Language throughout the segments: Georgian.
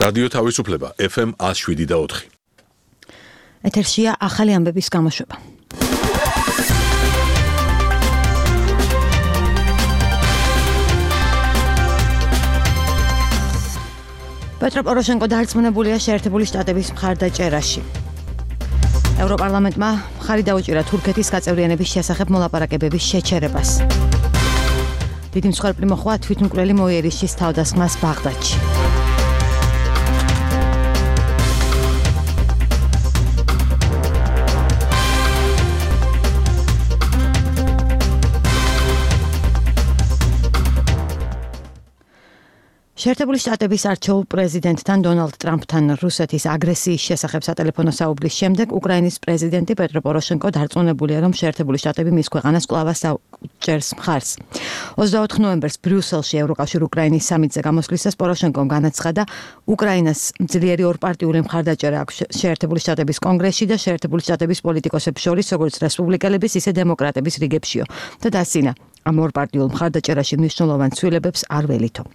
რადიო თავისუფლება FM 107.4. ეთერშია ახალი ამბების გამოშვება. პეტრო პოროშენკო დარწმუნებულია შეერთებული შტატების მხარდაჭერაში. ევროპარლამენტმა მხარი დაუჭირა თურქეთის გაწევრიანების შესახებ მოლაპარაკებების შეჩერებას. დიდი მსხვერპლი მოხდა თვითმკვლელი მოიერიშის თავდასხმას ბაღდადში. შეერთებული შტატების არჩეულ პრეზიდენტთან დონალდ ტრამპთან რუსეთის აგრესიის შესახებ სატელეფონო საუბრის შემდეგ უკრაინის პრეზიდენტი პეტრო პოროშენკო დარწმუნებულია, რომ შეერთებული შტატები მის ქვეყანას კვლავ ჭერს მხარს. 24 ნოემბერს ბრიუსელში ევროკავშირ უკრაინის სამიტზე გამოსვლისას პოროშენკომ განაცხადა, უკრაინას ძლიერი ორპარტიული მხარდაჭერა აქვს შეერთებული შტატების კონგრესში და შეერთებული შტატების პოლიტიკოსებს შორის, როგორც რესპუბლიკელების, ისე დემოკრატების რიგებშიო და დასცინა, ამ ორპარტიულ მხარდაჭერაში მნიშვნელოვან ცვლილებებს არ ველითო.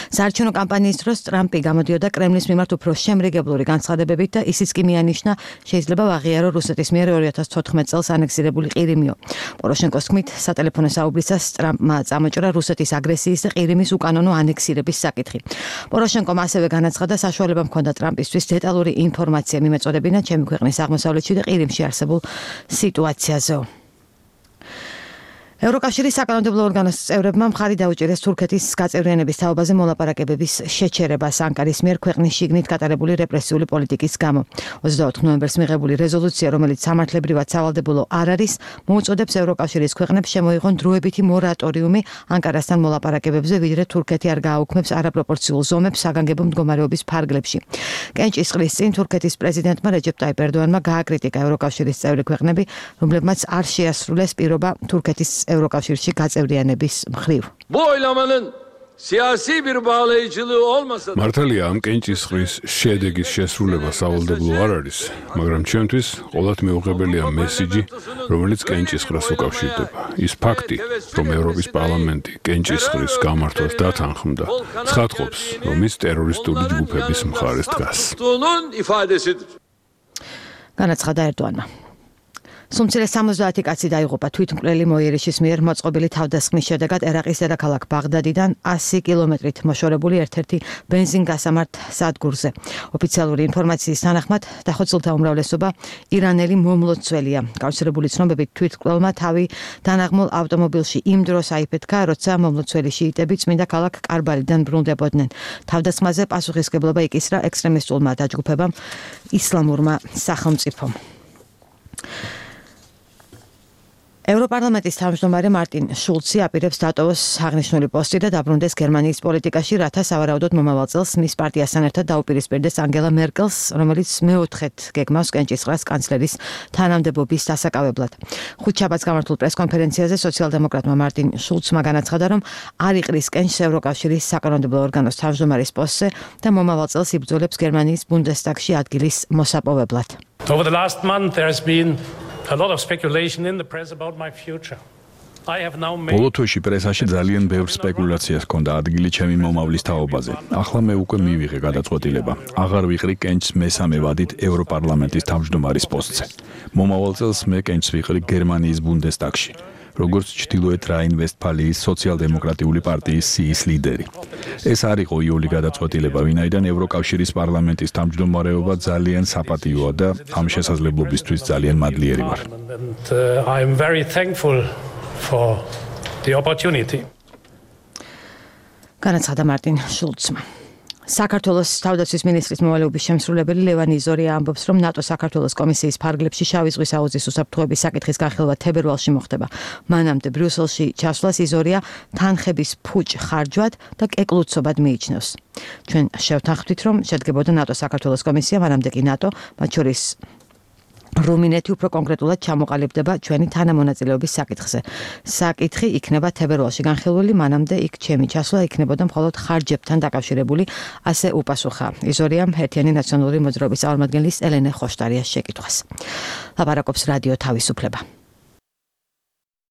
საარჩევნო კამპანიის დროს ტრამპი გამოდიოდა კრემლის მიმართ უფრო შემრიგებლური განცხადებებით და ისიც კი მიანიშნა, შეიძლება ვაღიარო რუსეთის მიერ 2014 წელს ანექსირებული ყირიმიო. პოროშენკოს თქმით, სატელეფონო საუბრისას ტრამპმა წამოჭრა რუსეთის აგრესიის და ყირიმის უკანონო ანექსირების საკითხი. პოროშენკომ ასევე განაცხადა, საშუალება მქონდა ტრამპისთვის დეტალური ინფორმაცია მიმეწოდებინა ჩემი ქვეყნის აღმოსავლეთში და ყირიმში არსებულ სიტუაციაზე. ევროკავშირის საკანონმდებლო ორგანოს წევრებმა მხარი დაუჭირეს თურქეთის გაწევრიანების თაობაზე მოლაპარაკებების შეჩერებას ანკარის მიერ ქვეყნის შიგნით გატარებული რეპრესიული პოლიტიკის გამო. 24 ნოემბერს მიღებული რეზოლუცია, რომელიც სამართლებრივად სავალდებულო არ არის, მოუწოდებს ევროკავშირის ქვეყნებს შემოიღონ დროებითი მორატორიუმი ანკარასთან მოლაპარაკებებზე, ვიდრე თურქეთი არ გააუქმებს არაპროპორციულ ზომებს საგანგებო მდგომარეობის ფარგლებში. კენჭისყრის წინ თურქეთის პრეზიდენტმა რეჯეპ ტაიპ ერდოანმა გააკრიტიკა ევროკავშირის წევრი ქვეყნები, რომლებმაც არ შეასრულეს პირობა თურქეთის ევროკავშირში გაწევრიანების მხრივ. მართალია, ამ კენჭისყრის შედეგის შესრულება სავალდებულო არ არის, მაგრამ ჩემთვის ყოველთ მეუღებელია მესიჯი, რომელიც კენჭისყრას უკავშირდება. ის ფაქტი, რომ ევროპის პარლამენტი კენჭისყრის გამართვას დათანხმდა, ცხადყოფს, რომ ის ტერორისტული ჯგუფების მხარეს დგას. განაცხადა ერდოანმა. სუმცირე 70 კაცი დაიღუპა თვითმკვლელი მოიერიშის მიერ მოწყობილი თავდასხმის შედეგად ერაყის დედაქალაქ ბაღდადიდან 100 კილომეტრით მოშორებული ერთ-ერთი ბენზინგასამართ სადგურზე. ოფიციალური ინფორმაციის თანახმად დახოცილთა უმრავლესობა ირანელი მომლოცველია. გავრცელებული ცნობებით თვითმკვლელმა თავი დანაღმულ ავტომობილში იმ დროს აიფეთქა, როცა მომლოცველი შიიტები წმინდა ქალაქ კარბალიდან ბრუნდებოდნენ. თავდასხმაზე პასუხისმგებლობა იკისრა ექსტრემისტულმა დაჯგუფებამ ისლამურმა სახელმწიფომ. ევროპარლამენტის თავმჯდომარე მარტინ შულცი აპირებს დატოვოს აღნიშნული პოსტი და დაბრუნდეს გერმანიის პოლიტიკაში, რათა სავარაუდოდ მომავალ წელს მის პარტიასთან ერთად დაუპირისპირდეს ანგელა მერკელს, რომელიც მეოთხედ გეგმავს კენჭისყრას კანცლერის თანამდებობის დასაკავებლად. ხუთშაბათს გამართულ პრესკონფერენციაზე სოციალ-დემოკრატმა მარტინ შულცმა განაცხადა, რომ არ იყრის კენჭს ევროკავშირის საკანონმდებლო ორგანოს თავმჯდომარის პოსტზე და მომავალ წელს იბრძოლებს გერმანიის ბუნდესტაგში ადგილის მოსაპოვებლად. Over the last month there has been a lot of speculation in the press about my future. ბოლო თვეში პრესაში ძალიან ბევრ სპეკულაციას ჰქონდა ადგილი ჩემი მომავლის თაობაზე. ახლა მე უკვე მივიღე გადაწყვეტილება. აღარ ვიყრი კენჭს მესამე ვადით ევროპარლამენტის თავმჯდომარის პოსტზე. მომავალ წელს მე კენჭს ვიყრი გერმანიის ბუნდესტაგში, როგორც ჩრდილოეთ რაინ-ვესტფალიის სოციალ-დემოკრატიული პარტიის სიის ლიდერი. ეს არ იყო იოლი გადაწყვეტილება, ვინაიდან ევროკავშირის პარლამენტის თავმჯდომარეობა ძალიან საპატიოა და ამ შესაძლებლობისთვის ძალიან მადლიერი ვარ. I am very thankful for the opportunity. განაცხადა მარტინ შულცმა. საქართველოს თავდაცვის მინისტრის მოვალეობის შემსრულებელი ლევან იზორია ამბობს, რომ ნატო საქართველოს კომისიის ფარგლებში შავი ზღვის აუზის უსაფრთხოების საკითხის განხილვა თებერვალში მოხდება. მანამდე ბრიუსელში ჩასვლას იზორია თანხების ფუჭ ხარჯვად და კეკლუცობად მიიჩნევს. ჩვენ შევთანხმდით, რომ შედგებოდა ნატო საქართველოს კომისია, მანამდე კი ნატო, მათ შორის რუმინეთი უფრო კონკრეტულად ჩამოყალიბდება ჩვენი თანამონაწილეობის საკითხზე. საკითხი იქნება თებერვალში განხილვილი, მანამდე იქ ჩემი ჩასვლა იქნებოდა მხოლოდ ხარჯებთან დაკავშირებული, ასე უპასუხა იზორიამ ერთიანი ნაციონალური მოძრაობის წარმომადგენლის ელენე ხოშტარიას შეკითხვას. ლაპარაკობს რადიო თავისუფლება.